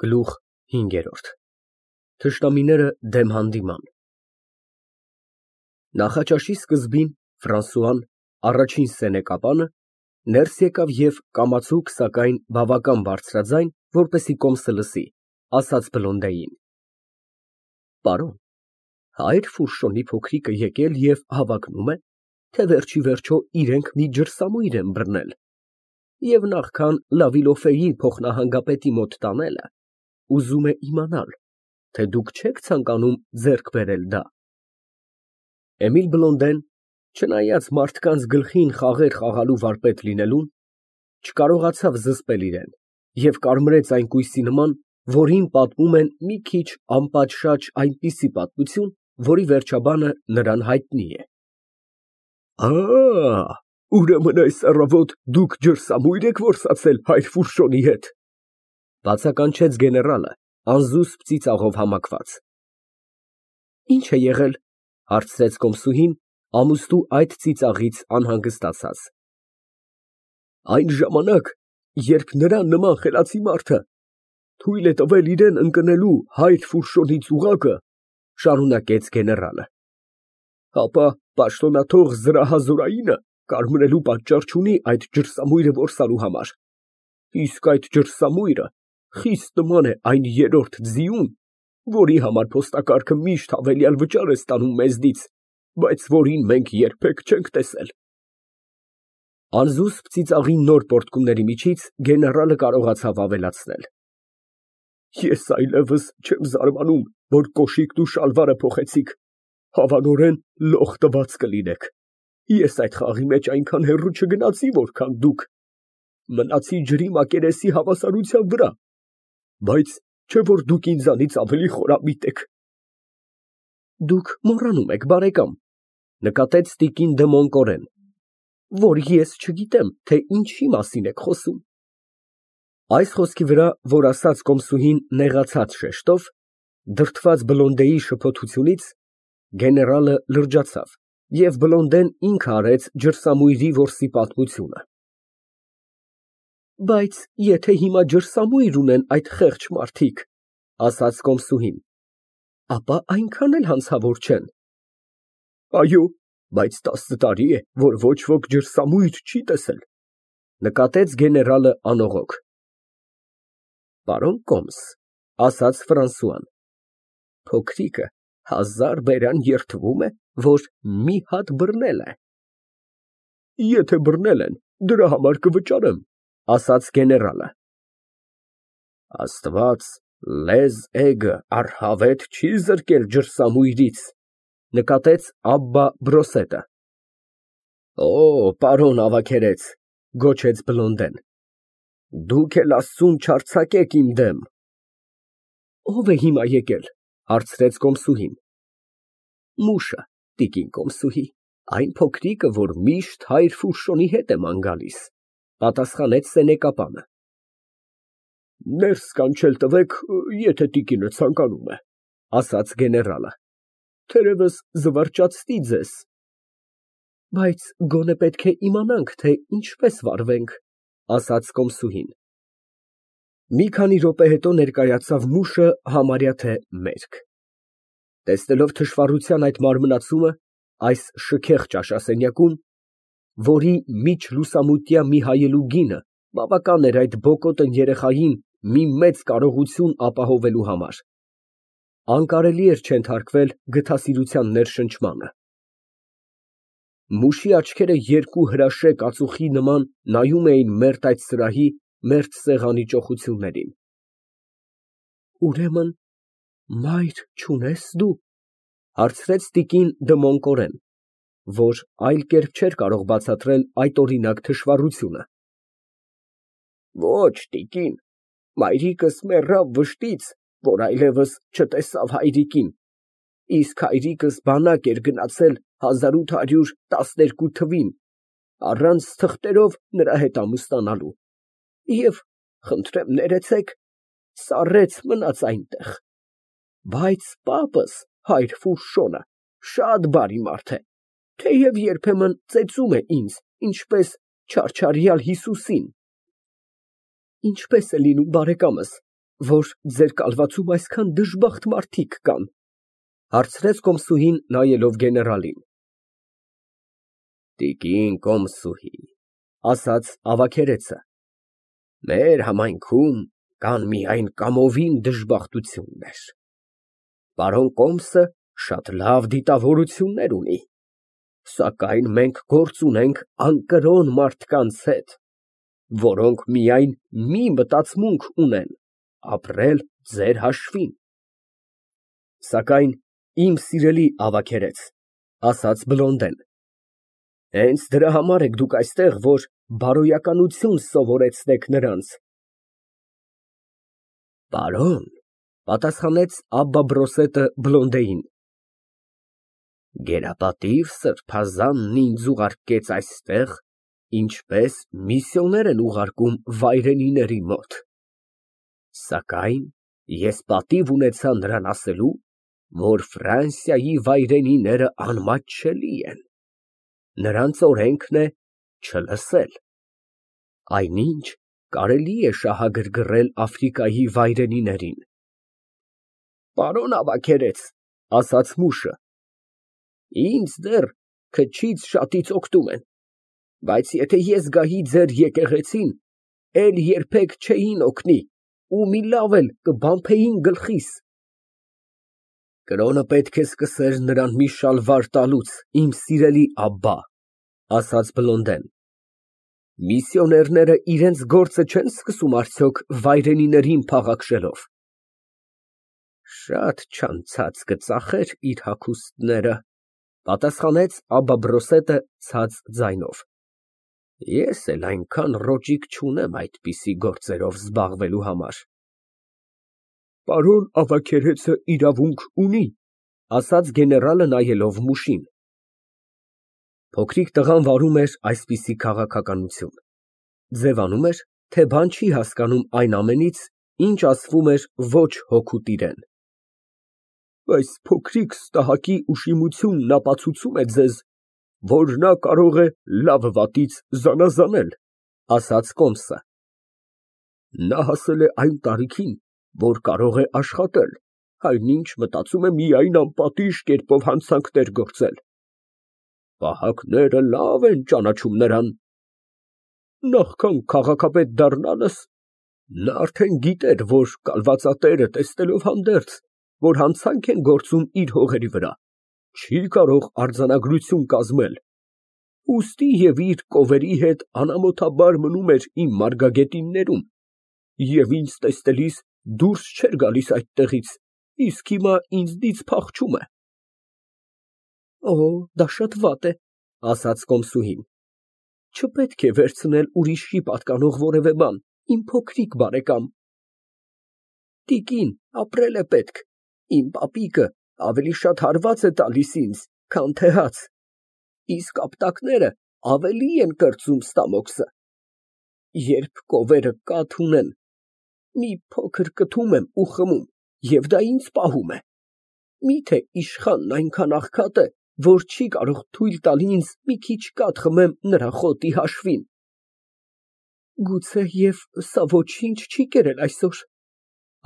Գլուխ 5 Թշնամիները դեմ հանդիման Նախաճաշի սկզբին Ֆրանսուան, առաջին սենեկապանը, ներս եկավ և կամացուկ, սակայն բավական բարձրաձայն, որպեսզի կոմսը լսի, ասաց Բլոնդեին. Պարոն, հայր Ֆուշոն փոքրիկը եկել և հավակնում է, թե վերջիվերջո իրենք մի ջրսամույր են բռնել և նախքան Լավիլոֆեի փոխնահանգապետի մոտ տանելը, ուզում է իմանալ, թե դուք չեք ցանկանում ձեռք բերել դա։ Էմիլ Բլոնդեն, չնայած մարդկանց գլխին խաղեր խաղալու վարպետ լինելուն, չկարողացավ զսպել իրեն և կարմրեց այնպիսի նման, որին պատմում են մի քիչ անպատշաճ այնպիսի պատմություն, որի վերջաբանը նրան հայտնի է։ Ուրեմն այս առավոտ դուք ջրսամույր եք որսացել հայր Ֆուշոնի հետ, բացականչեց գեներալը, անզուսպ ծիծաղով համակված։ Ինչ է եղել, հարցրեց կոմսուհին, ամուսնու այդ ծիծաղից անհանգստացած։ Այն ժամանակ, երբ նրան նման խելացի մարդը թույլ է տվել իրան ընկնելու հայր Ֆուշոնի ծուղակը, շարունակեց գեներալը, ապա պաշտոնաթող զրահազորայինը կարմրելու պատճառ չունի այդ ջրսամույրը որսալու համար, իսկ այդ ջրսամույրը խիստ նման է այն երրորդ ձիուն, որի համար փոստակարգը միշտ հավելյալ վճար է ստանում մեզնից, բայց որին մենք երբեք չենք տեսել։ Անզուսպ ծիծաղի նոր պոռթկումների միջից գեներալը կարողացավ ավելացնել. Ես այլևս չեմ զարմանում, որ կոշիկն ու շալվարը փոխեցիք, հավանորեն լող տված կլինեք։ Ես այդ խաղի մեջ այնքան հեռու չգնացի, որքան դուք, մնացի ջրի մակերեսի հավասարության վրա, բայց չէ որ դուք ինձանից ավելի խորամիտ եք։ Դուք մոռանում եք, բարեկամ, նկատեց տիկին դը Մոնկորեն, որ ես չգիտեմ, թե ինչի մասին եք խոսում։ Այս խոսքի վրա, որ ասաց կոմսուհին նեղացած շեշտով, դրդված Բլոնդեի շփոթությունից, գեներալը լրջացավ, և Բլոնդեն ինքը արեց ջրսամույրի որսի պատմությունը։ Բայց եթե հիմա ջրսամույր ունեն այդ խեղճ մարդիկ, ասաց կոմսուհին, ապա այնքան էլ հանցավոր չեն։ Այո, բայց 10 տարի է, որ ոչ ոք ջրսամույր չի տեսել, նկատեց գեներալը անողոք։ Պարոն կոմս, ասաց Ֆրանսուան, փոքրիկը 1000 բերան երդվում է, որ մի հատ բռնել է։ Եթե բռնել են, դրա համար կվճարեմ, ասաց գեներալը։ Աստված լեզ էգը առհավետ չի զրկել ջրսամույրից, նկատեց Աբբա Բրոսետը։ Օ, պարոն ավագերեց, գոչեց Բլոնդեն, դուք էլ Աստծուն չարձակեք իմ դեմ։ Ո՞վ է հիմա եկել, հարցրեց կոմսուհին։ Մուշը, տիկին կոմսուհի, այն փոքրիկը, որ միշտ հայր Ֆուշոնի հետ է ման գալիս, պատասխանեց սենեկապանը։ Ներս կանչել տվեք, եթե տիկինը ցանկանում է, ասաց գեներալը, թերևս զվարճացնի ձեզ։ Բայց գոնե պետք է իմանանք, թե ինչպես վարվենք, ասաց կոմսուհին։ Մի քանի րոպե հետո ներկայացավ մուշը համարյա թե մերկ։ Տեսնելով թշվառության այդ մարմնացումը, այս շքեղ ճաշասենյակում, որի միջլուսամուտյա մի հայելու գինը բավական էր այդ բոկոտն երեխային մի մեծ կարողություն ապահովելու համար, անկարելի էր չենթարկվել գթասիրության ներշնչմանը։ Մուշի աչքերը երկու հրաշեկ ածուխի նման նայում էին մերթ այդ սրահի, մերթ սեղանի ճոխություններին։ Ուրեմն մայր չունես դու, հարցրեց տիկին դը Մոնկորեն, որ այլ կերպ չէր կարող բացատրել այդ օրինակ թշվառությունը։ Ոչ, տիկին, մայրիկս մեռավ վշտից, որ այլևս չտեսավ հայրիկին, իսկ հայրիկս բանակ էր գնացել 1812 թվին, առանց թղթերով նրա հետ ամուսնանալու, և, խնդրեմ ներեցեք, սառեց մնաց այնտեղ, բայց պապս, հայր Ֆուշոնը, շատ բարի մարդ է, թեև երբեմն ծեծում է ինձ, ինչպես չարչարյալ Հիսուսին։ Ինչպես է լինում, բարեկամս, որ ձեր կալվածում այսքան դժբախտ մարդիկ կան, հարցրեց կոմսուհին, նայելով գեներալին։ Տիկին կոմսուհի, ասաց ավագերեցը, մեր համայնքում կան միայն կամովին դժբախտություններ։ Պարոն կոմսը շատ լավ դիտավորություններ ունի, սակայն մենք գործ ունենք անկրոն մարդկանց հետ, որոնք միայն մի մտածմունք ունեն՝ ապրել ձեր հաշվին։ Սակայն, իմ սիրելի ավագերեց, ասաց Բլոնդեն, հենց դրա համար եք դուք այստեղ, որ բարոյականություն սովորեցնեք նրանց։ Պարոն, պատասխանեց Աբբա Բրոսետը Բլոնդեին, գերապատիվ սրբազանն ինձ ուղարկեց այստեղ, ինչպես միսիոներ են ուղարկում վայրենիների մոտ, սակայն ես պատիվ ունեցա նրան ասելու, որ Ֆրանսիայի վայրենիները անմատչելի են, նրանց օրենքն է չլսել, այնինչ կարելի է շահագրգռել Աֆրիկայի վայրենիներին։ Պարոն ավագերեց, ասաց մուշը, ինձ դեռ քչից շատից օգտում են, բայց եթե ես գայի ձեր եկեղեցին, էլ երբեք չէին օգնի ու մի լավ էլ կբամփեին գլխիս։ Կրոնը պետք է սկսեր նրան մի շալվար տալուց, իմ սիրելի Աբբա, ասաց Բլոնդեն։ Միսիոներները իրենց գործը չեն սկսում արդյոք վայրենիներին փաղաքշելով։ Շատ չանցած կծախեր իր հագուստները, պատասխանեց Աբբա Բրոսետը ցած ձայնով։ Ես էլ այնքան ռոճիկ չունեմ այդպիսի գործերով զբաղվելու համար։ Պարոն ավագերեցը իրավունք ունի, ասաց գեներալը նայելով մուշին։ Փոքրիկ տղան վարում էր այսպիսի քաղաքականություն, ձևանում էր, թե բան չի հասկանում այն ամենից, ինչ ասվում էր ոչ հոգուտ իրեն։ Այս փոքրիկ ստահակի ուշիմությունն ապացուցում է ձեզ, որ նա կարող է լավ վատից զանազանել, ասաց կոմսը։ Նա հասել է այն տարիքին, որ կարող է աշխատել, այնինչ մտածում է միայն անպատիժ կերպով հանցանքներ գործել։ Պահակները լավ են ճանաչում նրան։ Նախքան քաղաքապետ դառնալս, նա արդեն գիտեր, որ կալվածատերը տեսնելով հանդերձ, որ հանցանք են գործում իր հողերի վրա, չի կարող արձանագրություն կազմել, ուստի և իր կովերի հետ անամոթաբար մնում էր իմ մարգագետիններում և ինձ տեսնելիս դուրս չէր գալիս այդտեղից, իսկ հիմա ինձնից փախչում է։ Դա շատ վատ է, ասաց կոմսուհին, չպետք է վերցնել ուրիշի պատկանող որևէ բան, իմ փոքրիկ բարեկամ։ Տիկին, ապրել է պետք, իմ պապիկը ավելի շատ հարված է տալիս ինձ, քան թե հաց, իսկ ապտակները ավելի են կրծում ստամոքսը։ Երբ կովերը կաթ ունեն, մի փոքր կթում եմ ու խմում, և դա ինձ պահում է։ Միթե իշխանն այնքան աղքատ է, որ չի կարող թույլ տալ ինձ մի քիչ կաթ խմեմ նրա խոտի հաշվին։ Գուցեև սա ոչինչ չի կերել այսօր,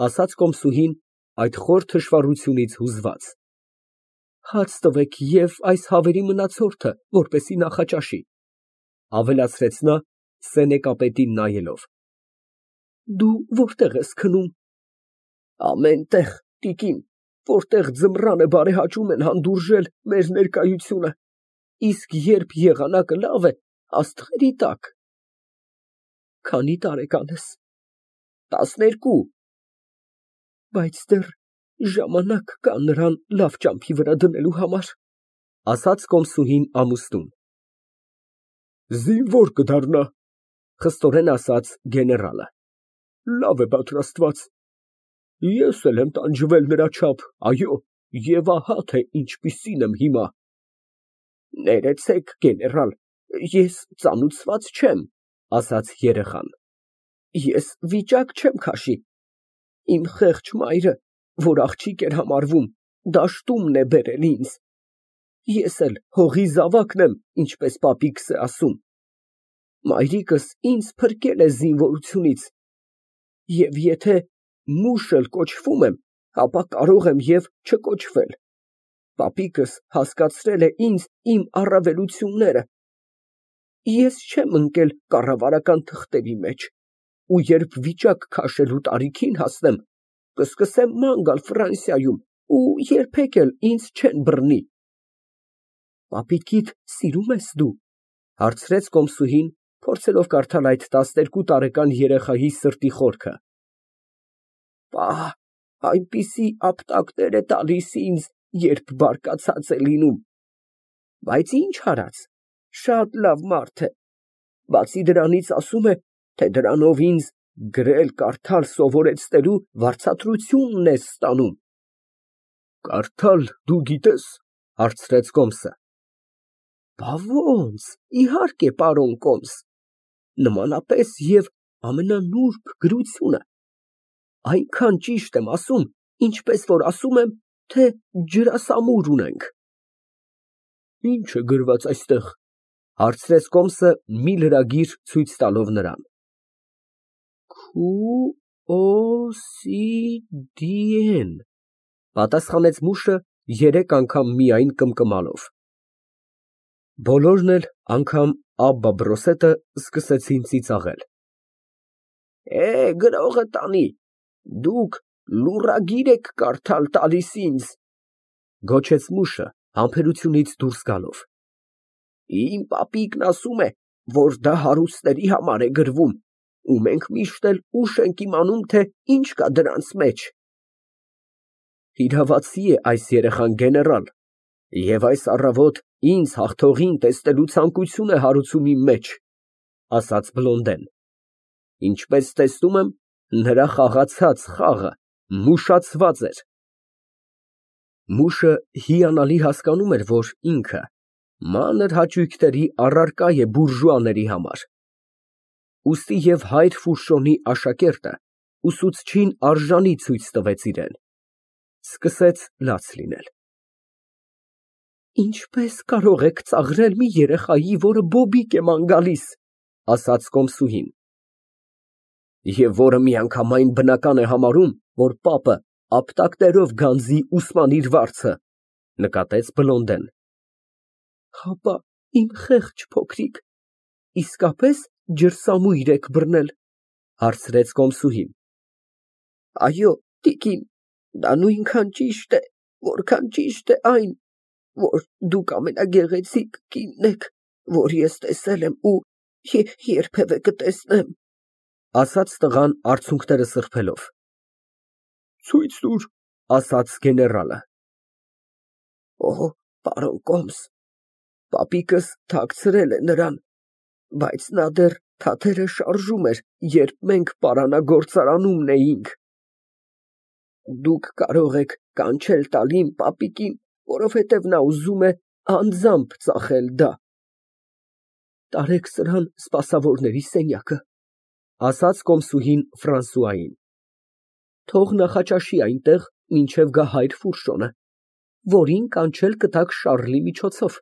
ասաց կոմսուհին այդ խոր թշվառությունից հուզված։ Հաց տվեք և այս հավերի մնացորդը, որպեսզի նախաճաշի, ավելացրեց նա սենեկապետին նայելով։ Դու որտեղ ես քնում։ Ամեն տեղ, տիկին, որտեղ ձմռանը բարեհաճում են հանդուրժել մեր ներկայությունը, իսկ երբ եղանակը լավ է, աստղերի տակ։ Քանի տարեկան ես։ 12։ Բայց դեռ ժամանակ կա նրան լավ ճամփի վրա դնելու համար, ասաց կոմսուհին ամուսնուն։ Զինվոր կդառնա, խստորեն ասաց գեներալը։ Լավ է պատրաստված։ Ես էլ եմ տանջվել նրա չափ, այո, և ահա թե ինչպիսին եմ հիմա։ Ներեցեք, գեներալ, ես ծանուցված չեմ, ասաց երեխան։ Ես վիճակ չեմ քաշի։ Իմ խեղճ մայրը, որ աղջիկ էր համարվում, դաշտումն է բերել ինձ։ Ես էլ հողի զավակն եմ, ինչպես պապիկս է ասում։ Մայրիկս ինձ փրկել է զինվորությունից, և եթե մուշ էլ կոչվում եմ, ապա կարող եմ և չկոչվել։ Պապիկս հասկացրել է ինձ իմ առավելությունները։ Ես չեմ ընկել կառավարական թղթերի մեջ, ու երբ վիճակ քաշելու տարիքին հասնեմ, կսկսեմ ման գալ Ֆրանսիայում ու երբեք էլ ինձ չեն բռնի։ Պապիկիդ սիրում ես դու, հարցրեց կոմսուհին, փորձելով կարդալ այդ 12 տարեկան երեխայի սրտի խորքը։ Պահ, այնպիսի ապտակներ է տալիս ինձ, երբ բարկացած է լինում։ Բայց ինչ արած, շատ լավ մարդ է։ Բացի դրանից ասում է, թե դրանով ինձ գրել կարդալ սովորեցնելու վարձատրությունն ես ստանում։ Կարդալ դու գիտես, հարցրեց կոմսը։ Բա ոնց, իհարկե, պարոն կոմս, նմանապես և ամենանուրբ գրությունը, այնքան ճիշտ եմ ասում, ինչպես որ ասում եմ, թե ջրասամուր ունենք։ Ինչ է գրված այստեղ, հարցրեց կոմսը մի լրագիր ցույց տալով նրան։ Քուօսիդիեն, պատասխանեց մուշը 3 անգամ միայն կմկմալով։ Բոլորն էլ անգամ Աբբա Բրոսետը սկսեցին ծիծաղել։ Գրողը տանի, դուք լուրագիր եք կարդալ տալիս ինձ, գոչեց մուշը համբերությունից դուրս գալով։ Իմ պապիկն ասում է, որ դա հարուստների համար է գրվում, ու մենք միշտ էլ ուշ ենք իմանում, թե ինչ կա դրանց մեջ։ Իրավացի է այս երեխան, գեներալ, և այս առավոտ ինձ հաղթողին տեսնելու ցանկություն է հարուցում իմ մեջ, ասաց Բլոնդեն։ Ինչպես տեսնում եմ, նրա խաղացած խաղը մուշացված էր։ Մուշը հիանալի հասկանում էր, որ ինքը մանր հաճույքների առարկա է բուրժուաների համար։ Ուստի և հայր Ֆուշոնի աշակերտը ուսուցչին արժանի ցույց տվեց իրան։ Սկսեց լաց լինել։ Ինչպես կարող եք ծաղրել մի երեխայի, որը բոբիկ է ման գալիս, ասաց կոմսուհին։ Եվ որը միանգամայն բնական է համարում, որ պապը ապտակներով գանձի ուսման իր վարձը, նկատեց Բլոնդեն։ Հապա, իմ խեղճ փոքրիկ, իսկապես ջրսամույր եք բռնել, հարցրեց կոմսուհին։ Այո, տիկին, դա նույնքան ճիշտ է, որքան ճիշտ է այն, որ դուք ամենագեղեցիկ կինն եք, որ ես տեսել եմ ու երբևէ կտեսնեմ, ասաց տղան արցունքները սրբելով։ Ցույց տուր, ասաց գեներալը։ Օ, պարոն կոմս, պապիկս թաքցրել է նրան, բայց նա դեռ թաթերը շարժում էր, երբ մենք պարանագործարանումն էինք։ Դուք կարող եք կանչել տալ իմ պապիկին, որովհետև նա ուզում է անձամբ ծախել դա։ Տարեք սրան սպասավորների սենյակը, ասաց կոմսուհին Ֆրանսուային։ Թող նախաճաշի այնտեղ, մինչև գա հայր Ֆուրշոնը, որին կանչել կտաք Շառլի միջոցով։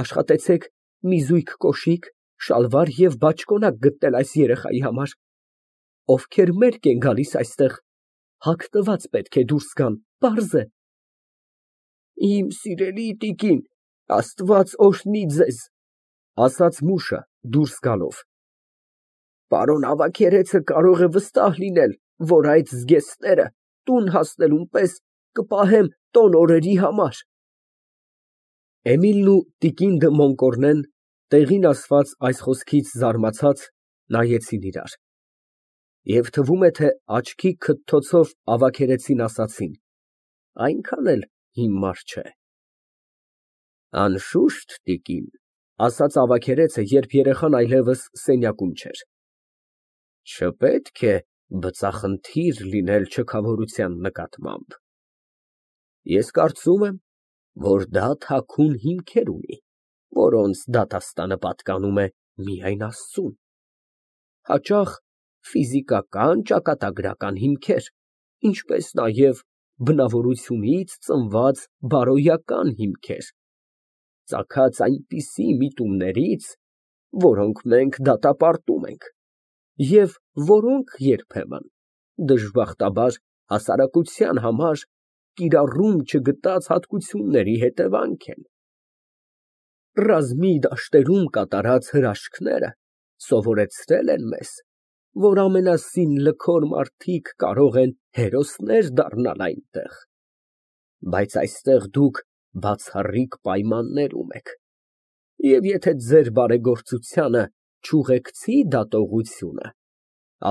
Աշխատեցեք մի զույգ կոշիկ, շալվար և բաճկոնակ գտնել այս երեխայի համար։ Ովքեր մերկ են գալիս այստեղ, հագնված պետք է դուրս գան, պարզ է։ Իմ սիրելի տիկին, Աստված օրհնի ձեզ, ասաց մուշը դուրս գալով։ Պարոն ավագերեցը կարող է վստահ լինել, որ այդ զգեստները տուն հասնելուն պես կպահեմ տոն օրերի համար։ Էմիլն ու տիկին դը Մոնկորնեն, տեղին ասված այս խոսքից զարմացած, նայեցին իրար։ Եվ թվում է, թե աչքի քթթոցով ավագերեցին ասացին. այնքան էլ հիմար չէ։ Անշուշտ, տիկին, ասաց ավագերեցը, երբ երեխան այլևս սենյակում չէր։ Չպետք է բծախնդիր լինել չքավորության նկատմամբ։ Ես կարծում եմ, որ դա թաքուն հիմքեր ունի, որոնց դատաստանը պատկանում է միայն Աստծուն։ Հաճախ ֆիզիկական ճակատագրական հիմքեր, ինչպես նաև բնավորությունից ծնված բարոյական հիմքեր, ծագած այնպիսի միտումներից, որոնք մենք դատապարտում ենք, և որոնք երբեմն Դժբախտաբար հասարակության համար կիրառում չգտած հատկությունների հետևանք են։ Ռազմի դաշտերում կատարած հրաշքները սովորեցրել են մեզ, որ ամենասին մարդիկ կարող են հերոսներ դառնալ այնտեղ, բայց այստեղ դուք բացառիկ պայմաններում եք, և եթե ձեր բարեգործությանը չուղեկցի դատողությունը,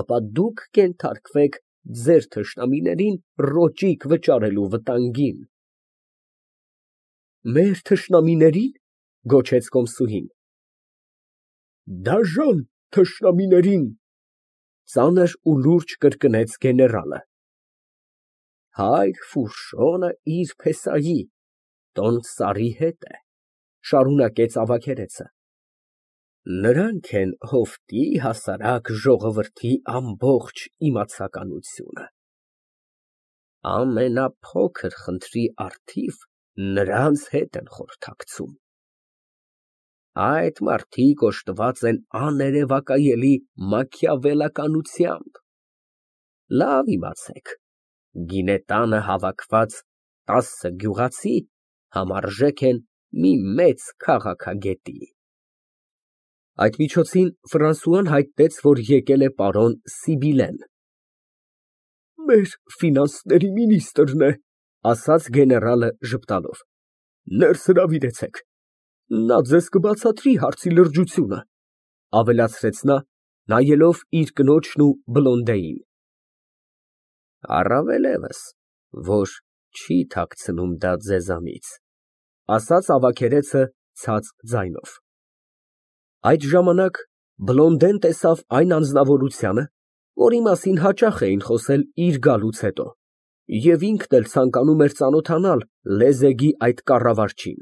ապա դուք կենթարկվեք ձեր թշնամիներին ռոճիկ վճարելու վտանգին։ Մեր թշնամիների՞ն, գոչեց կոմսուհին։ Դաժան թշնամիներին, ծանր ու լուրջ կրկնեց գեներալը։ Հայր Ֆուրշոնը իր փեսայի, տոն սարի հետ է, շարունակեց ավագերեցը, նրանք են հովտի հասարակ ժողովրդի ամբողջ իմացականությունը, ամենափոքր խնդրի առթիվ նրանց հետ են խորհրդակցում, այդ մարդիկ օժտված են աներևակայելի մաքիավելականությամբ, լավ իմացեք, գինետանը հավաքված 10 գյուղացի համարժեք են մի մեծ քաղաքագետի։ Այդ միջոցին Ֆրանսուան հայտնեց, որ եկել է պարոն Սիբիլեն։ Մեր ֆինանսների մինիստրն է, ասաց գեներալը ժպտալով, ներս հրավիրեցեք, նա ձեզ կբացատրի հարցի լրջությունը, ավելացրեց նա, նայելով իր կնոջն ու Բլոնդեին։ Առավելևս, որ չի թաքցնում դա ձեզանից, ասաց ավագերեցը ցած ձայնով։ Այդ ժամանակ Բլոնդեն տեսավ այն անձնավորությանը, որի մասին հաճախ էին խոսել իր գալուց հետո, և ինքն էլ ցանկանում էր ծանոթանալ լեզեգի այդ կառավարչին։